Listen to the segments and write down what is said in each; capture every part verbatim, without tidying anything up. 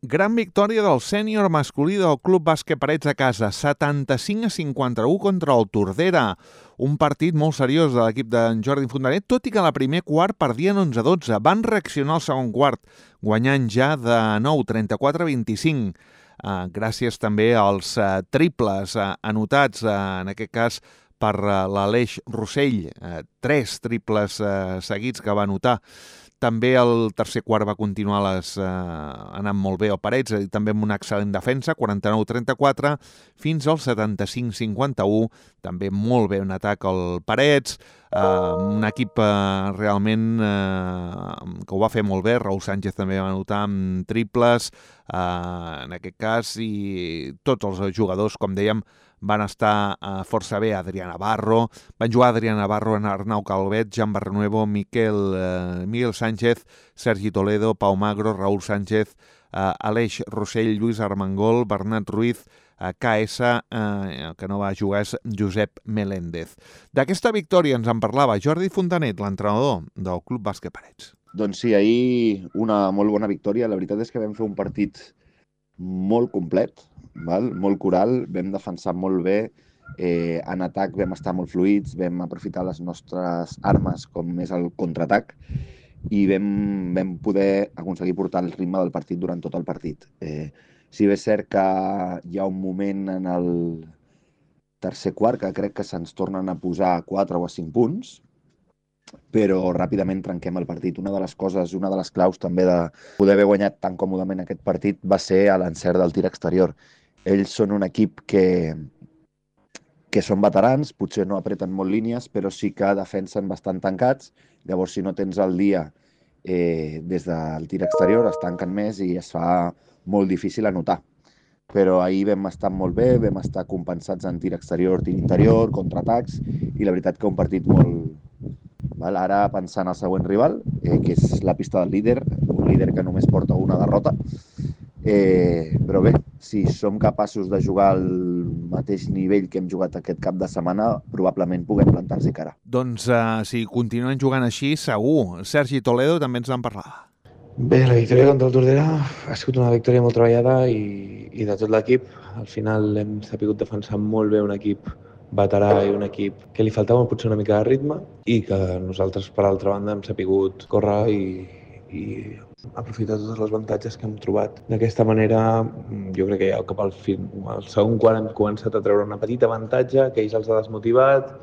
Gran victòria del sènior masculí del Club Bàsquet Parets a casa, setanta-cinc a cinquanta-u contra el Tordera. Un partit molt seriós de l'equip d'en Jordi Fontanet, tot i que a la primer quart perdien onze a dotze. Van reaccionar al segon quart, guanyant ja de nou, trenta-quatre a vint-i-cinc. Uh, gràcies també als uh, triples uh, anotats, uh, en aquest cas per uh, l'Aleix Rossell. Uh, tres triples uh, seguits que va anotar. També el tercer quart va continuar les, eh, anant molt bé el Parets, i també amb una excel·lent defensa, quaranta-nou a trenta-quatre, fins al setanta-cinc a cinquanta-u, també molt bé un atac al Parets, eh, un equip eh, realment eh, que ho va fer molt bé. Raúl Sánchez també va anotar amb triples, eh, en aquest cas, i tots els jugadors, com dèiem, van estar uh, força bé. Adrià Navarro, van jugar Adrià Navarro, Arnau Calvet, Jan Barrenuevo, Miquel, uh, Miguel Sánchez, Sergi Toledo, Pau Magro, Raúl Sánchez, uh, Aleix Rossell, Lluís Armengol, Bernat Ruiz, uh, K S, uh, que no va jugar és Josep Meléndez. D'aquesta victòria ens en parlava Jordi Fontanet, l'entrenador del Club Bàsquet Parets. Doncs sí, ahir una molt bona victòria. La veritat és que vam fer un partit molt complet, val? Molt coral, vam defensar molt bé, eh, en atac vam estar molt fluïts, vam aprofitar les nostres armes com és el contraatac i vam, vam poder aconseguir portar el ritme del partit durant tot el partit. Eh, si bé és cert que hi ha un moment en el tercer quart que crec que se'ns tornen a posar a quatre o a cinc punts, però ràpidament trenquem el partit. Una de les coses, una de les claus també de poder haver guanyat tan còmodament aquest partit va ser a l'encert del tir exterior. Ells són un equip que, que són veterans, potser no apreten molt línies, però sí que defensen bastant tancats. Llavors, si no tens el dia eh, des del tir exterior, es tanquen més i es fa molt difícil anotar. Però ahir vam estar molt bé, vam estar compensats en tir exterior, tir interior, contraatacs, i la veritat que un partit molt... Val? Ara pensant al següent rival, eh, que és la pista del líder, un líder que només porta una derrota. Eh, però bé, si som capaços de jugar al mateix nivell que hem jugat aquest cap de setmana, probablement puguem plantar-s'hi cara. Doncs uh, si continuen jugant així, segur. Sergi Toledo també ens en parlava. Bé, la victòria contra el Tordera ha sigut una victòria molt treballada i, i de tot l'equip. Al final hem sapigut defensar molt bé un equip veterà i un equip que li faltava potser una mica de ritme i que nosaltres, per altra banda, hem sapigut córrer i, i aprofitar tots els avantatges que hem trobat. D'aquesta manera, jo crec que ja cap al, fin, al segon quart hem començat a treure una petita avantatge que ells els ha desmotivat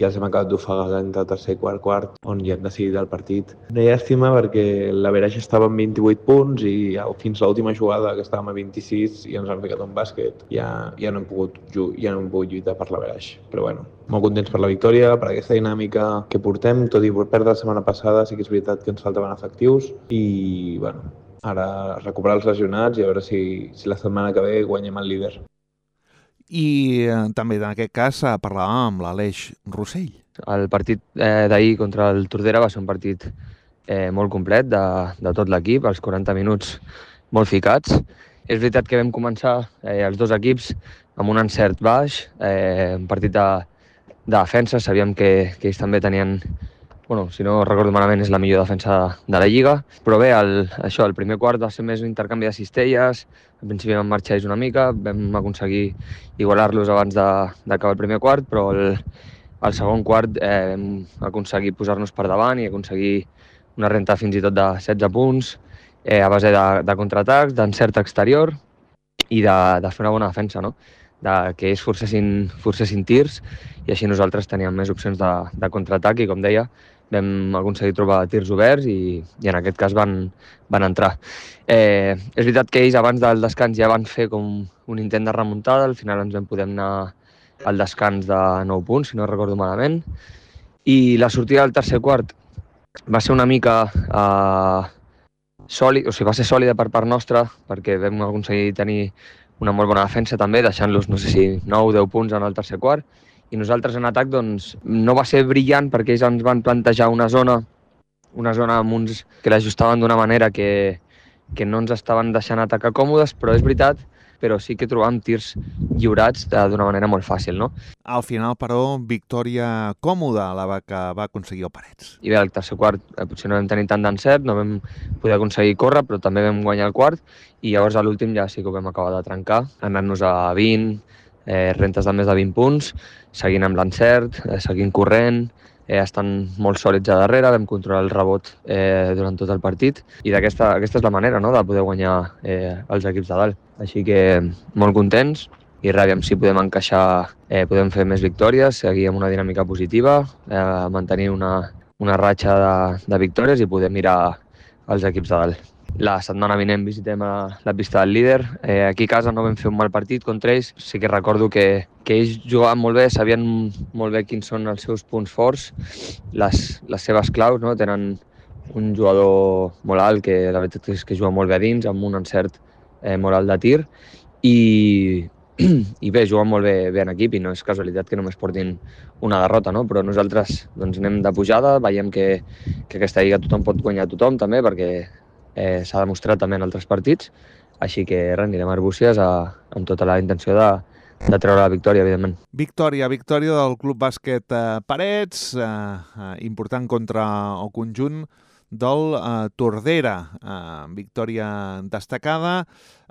i els hem acabat d'ofegar entre el tercer i quart quart, on ja hem decidit el partit. Una llàstima perquè l'averaix estava en vint-i-vuit punts i fins a l'última jugada, que estàvem a vint-i-sis, i ens han ficat un bàsquet. Ja, ja, no hem pogut, ja no hem pogut lluitar per l'averaix. Però bueno, molt contents per la victòria, per aquesta dinàmica que portem, tot i perdre la setmana passada, sí que és veritat que ens faltaven efectius i bueno, ara recuperar els lesionats i a veure si, si la setmana que ve guanyem el líder. I eh, també en aquest cas eh, parlàvem amb l'Aleix Rossell. El partit eh, d'ahir contra el Tordera va ser un partit eh, molt complet de, de tot l'equip, els quaranta minuts molt ficats. És veritat que vam començar eh, els dos equips amb un encert baix, eh, un partit de, de defensa, sabíem que, que ells també tenien, bueno, si no recordo malament, és la millor defensa de la Lliga, però bé, el, això, el primer quart va ser més un intercanvi de cistelles, al principi vam marxar ells una mica, vam aconseguir igualar-los abans d'acabar el primer quart, però el, el segon quart eh, vam aconseguir posar-nos per davant i aconseguir una renta fins i tot de setze punts, eh, a base de, de contraatacs, d'encert exterior i de, de fer una bona defensa, no? De que ells forcessin, forcessin tirs i així nosaltres teníem més opcions de, de contraatac i, com deia, vam aconseguir trobar tirs oberts i, i en aquest cas van, van entrar. Eh, és veritat que ells abans del descans ja van fer com un intent de remuntada, al final ens vam poder anar al descans de nou punts, si no recordo malament, i la sortida del tercer quart va ser una mica eh, sòlida, o sigui, va ser sòlida per part nostra, perquè vam aconseguir tenir una molt bona defensa també, deixant-los, no sé si nou o deu punts en el tercer quart, i nosaltres en atac doncs, no va ser brillant perquè ells ens van plantejar una zona, una zona amb uns que l'ajustaven d'una manera que, que no ens estaven deixant atacar còmodes, però és veritat però sí que trobàvem tirs lliurats d'una manera molt fàcil, no? Al final, però, victòria còmoda la que va aconseguir el Parets. I bé, al tercer quart eh, potser no vam tenir tant d'encert, no vam poder aconseguir córrer, però també vam guanyar el quart, i llavors a l'últim ja sí que ho vam acabar de trencar, anant-nos a vint, eh, rentes de més de vint punts, seguint amb l'encert, eh, seguint corrent, eh, estan molt sòlids a darrere, vam controlar el rebot eh, durant tot el partit, i d'aquesta aquesta és la manera, no?, de poder guanyar eh, els equips de dalt. Així que molt contents, i ràbia si podem encaixar, eh, podem fer més victòries, seguir amb una dinàmica positiva, eh, mantenir una, una ratxa de, de victòries i poder mirar els equips de dalt. La setmana vinent visitem a la pista del líder. Eh, aquí a casa no vam fer un mal partit contra ells. Sí que recordo que, que ells jugaven molt bé, sabien molt bé quins són els seus punts forts, les, les seves claus, no? Tenen un jugador molt alt, que la veritat és que juga molt bé a dins, amb un encert eh, molt alt de tir, i, i bé, juguen molt bé, bé en equip, i no és casualitat que només portin una derrota, no? Però nosaltres doncs, anem de pujada, veiem que, que aquesta lliga tothom pot guanyar tothom també, perquè Eh, s'ha demostrat també en altres partits, així que res, anirem a Arbúcies a, amb tota la intenció de, de treure la victòria, evidentment. Victòria, victòria del Club Bàsquet eh, Parets, eh, eh, important contra el conjunt del eh, Tordera, eh, victòria destacada,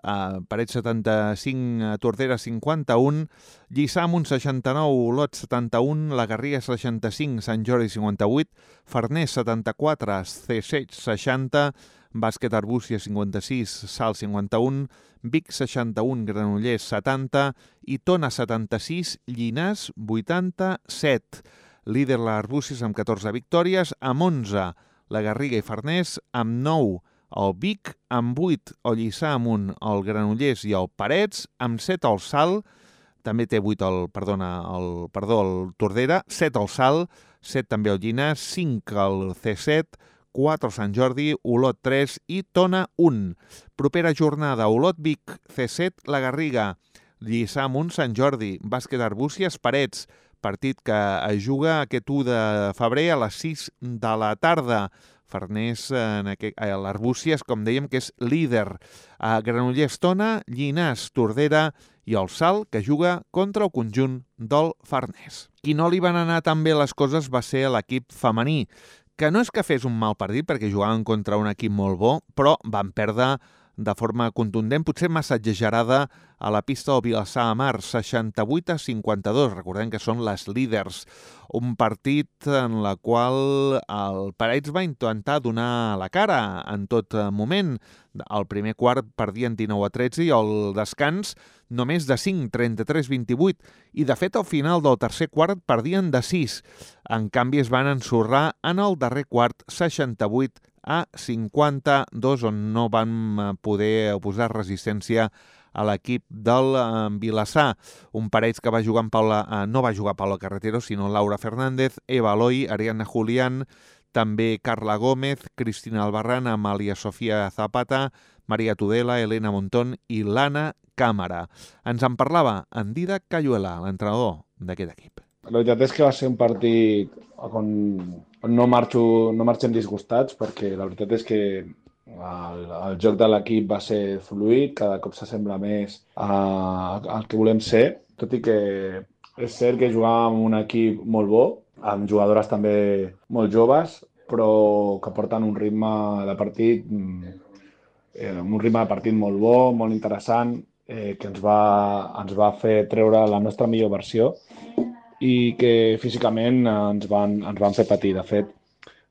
eh, Parets setanta-cinc, Tordera cinquanta-un, Lliçà Amunt seixanta-nou, Olot setanta-un, La Garriga seixanta-cinc, Sant Jordi cinquanta-vuit, Farners setanta-quatre, Ceseix seixanta, Bàsquet Arbúcies cinquanta-sis, Salt cinquanta-un, Vic seixanta-un, Granollers setanta i Tona setanta-sis, Llinars vuitanta-set. Líder l'Arbúcies amb catorze victòries, amb onze la Garriga i Farners, amb nou el Vic, amb vuit el Lliçà Amunt, el Granollers i el Parets, amb set el Salt, també té vuit el, perdona, el, perdó, el Tordera, set el Salt, set també el Llinars, cinc el C set, quatre Sant Jordi, Olot tres i Tona un. Propera jornada, Olot Vic, C set, La Garriga, Lliçà Amunt, Sant Jordi, Bàsquet Arbúcies, Parets, partit que es juga aquest u de febrer a les sis de la tarda. Farners, en aquest, a l'Arbúcies, com dèiem, que és líder. A Granollers, Tona, Llinars, Tordera i el Salt, que juga contra el conjunt del Farners. Qui no li van anar tan bé les coses va ser l'equip femení, que no és que fes un mal partit, perquè jugaven contra un equip molt bo, però van perdre de forma contundent, potser massa exagerada, a la pista del Vilassar de Mar, seixanta-vuit a cinquanta-dos. Recordem que són les líders. Un partit en la qual el Parets va intentar donar la cara en tot moment. Al primer quart perdien dinou a tretze i al descans només de cinc, trenta-tres a vint-i-vuit. I de fet al final del tercer quart perdien de sis. En canvi es van ensorrar en el darrer quart, seixanta-vuit a cinquanta-dos, on no van poder posar resistència a l'equip del eh, Vilassar. Un Parets que va jugar amb Paula, eh, no va jugar Paula Carretero, sinó Laura Fernández, Eva Aloy, Ariana Julián, també Carla Gómez, Cristina Albarrán, Amàlia Sofia Zapata, Maria Tudela, Elena Montón i l'Anna Càmera. Ens en parlava en Didac Cayuela, l'entrenador d'aquest equip. La veritat és que va ser un partit on, on no, marxo, no marxem disgustats, perquè la veritat és que el, el joc de l'equip va ser fluid, cada cop s'assembla més a, al que volem ser, tot i que és cert que jugàvem amb un equip molt bo, amb jugadores també molt joves, però que porten un ritme de partit, eh, un ritme de partit molt bo, molt interessant, eh, que ens va, ens va fer treure la nostra millor versió i que físicament ens van, ens van fer patir. De fet,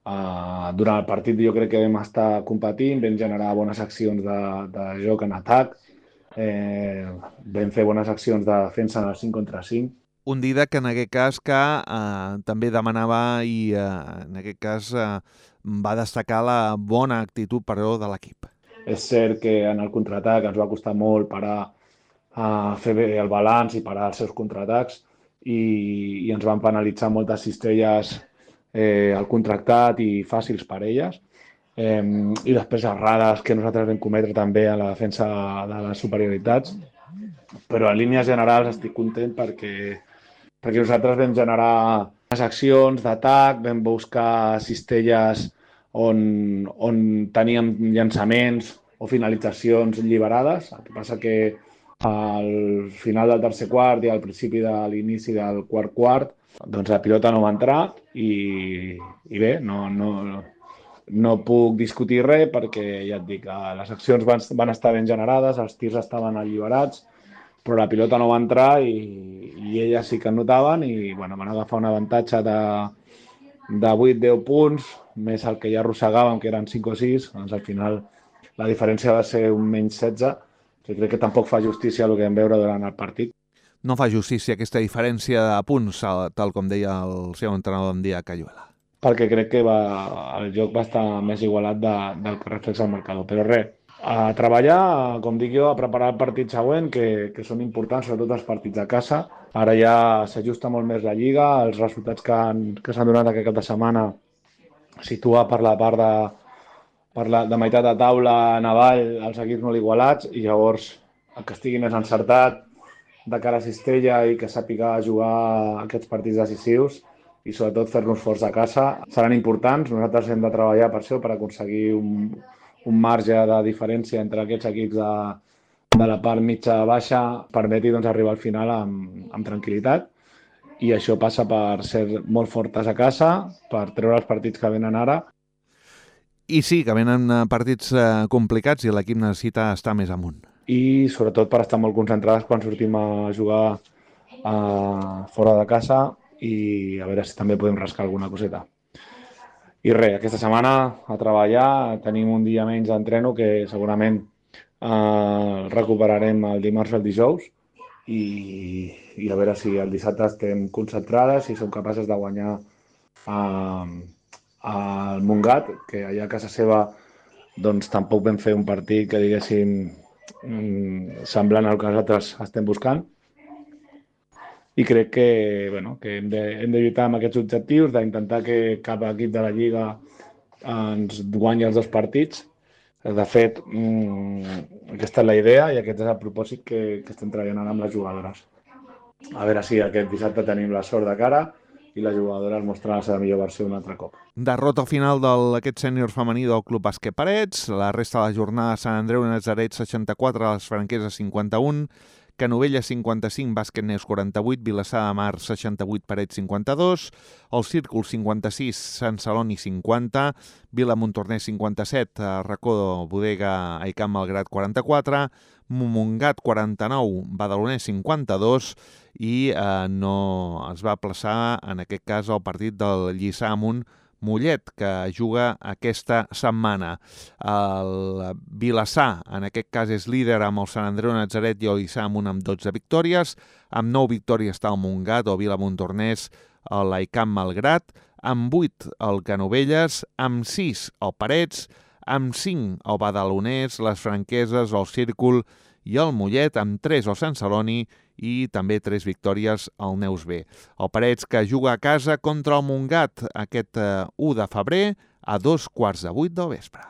Uh, durant el partit jo crec que vam estar competint, vam generar bones accions de, de joc en atac, eh, vam fer bones accions de defensa en el cinc contra cinc. Un Didac que en aquest cas que eh, també demanava i eh, en aquest cas eh, va destacar la bona actitud però de l'equip. És cert que en el contraatac ens va costar molt parar a fer bé el balanç i parar els seus contraatacs i, i ens van penalitzar moltes cistelles Eh, el contractat i fàcils per elles, eh, i després errades que nosaltres vam cometre també a la defensa de les superioritats, però en línies generals estic content perquè, perquè nosaltres vam generar les accions d'atac, vam buscar cistelles on, on teníem llançaments o finalitzacions alliberades. El que passa que Al final del tercer quart i al principi de l'inici del quart quart, doncs la pilota no va entrar i, i bé, no, no, no puc discutir res perquè ja et dic, les accions van, van estar ben generades, els tirs estaven alliberats, però la pilota no va entrar i, i elles sí que notaven i bueno, van agafar un avantatge de, de vuit a deu punts, més el que ja arrossegàvem, que eren cinc o sis, doncs al final la diferència va ser un menys setze, que crec que tampoc fa justícia al que vam veure durant el partit. No fa justícia aquesta diferència de punts, tal com deia el seu entrenador en dia Cayuela. Perquè crec que va, el joc va estar més igualat de, del que reflexa el marcador. Però res, a treballar, com dic jo, a preparar el partit següent, que, que són importants, sobretot els partits a casa. Ara ja s'ajusta molt més la Lliga, els resultats que, han, que s'han donat aquest cap de setmana situa per la part de, per la, de meitat de taula en avall els equips molt igualats i llavors el que estigui més encertat de cara a Cistella i que sàpiga jugar aquests partits decisius i sobretot fer-nos forts a casa seran importants. Nosaltres hem de treballar per això, per aconseguir un, un marge de diferència entre aquests equips de, de la part mitja-baixa permeti doncs, arribar al final amb, amb tranquil·litat i això passa per ser molt fortes a casa, per treure els partits que venen ara. I sí, que venen partits eh, complicats i l'equip necessita estar més amunt. I sobretot per estar molt concentrades quan sortim a jugar eh, fora de casa i a veure si també podem rascar alguna coseta. I res, aquesta setmana a treballar, tenim un dia menys d'entreno que segurament eh, recuperarem el dimarts o el dijous i, i a veure si el dissabte estem concentrades i som capaces de guanyar eh, al Montgat, que allà a casa seva doncs tampoc vam fer un partit que diguéssim semblant al que nosaltres estem buscant i crec que, bueno, que hem, de, hem de lluitar amb aquests objectius, d'intentar que cap equip de la Lliga ens guanyi els dos partits. De fet, mmm, aquesta és la idea i aquest és el propòsit que, que estem treballant ara amb les jugadores. A veure si aquest dissabte tenim la sort de cara i la jugadora es mostra la seva millor versió un altre cop. Derrota final d'aquest sènior femení del Club Bàsquet Parets. La resta de la jornada, Sant Andreu Natzaret seixanta-quatre, les Franqueses cinquanta-un, Canovelles cinquanta-cinc, Bàsquet Neus quaranta-vuit, Vilassar de Mar seixanta-vuit, Parets cinquanta-dos, el Círcul cinquanta-sis, Sant Celoni cinquanta, Vila Montornès cinquanta-set, Racó Bodega Aicamp Malgrat quaranta-quatre, Montgat quaranta-nou, Badalonès cinquanta-dos i eh, no es va plaçar en aquest cas el partit del Lliçà Amunt Mollet, que juga aquesta setmana. El Vilassar, en aquest cas, és líder amb el Sant Andreu Natzaret i el Lliçà Amunt amb dotze victòries. Amb nou victòries està el Montgat o Vila Montornès, l'Aicamp Malgrat, amb vuit el Canovelles, amb sis el Parets, amb cinc el Badalonès, les Franqueses, el Círcul i el Mollet, amb tres el Sant Celoni i també tres victòries al Neus B. El Parets, que juga a casa contra el Montgat aquest eh, u de febrer a dos quarts de vuit del vespre.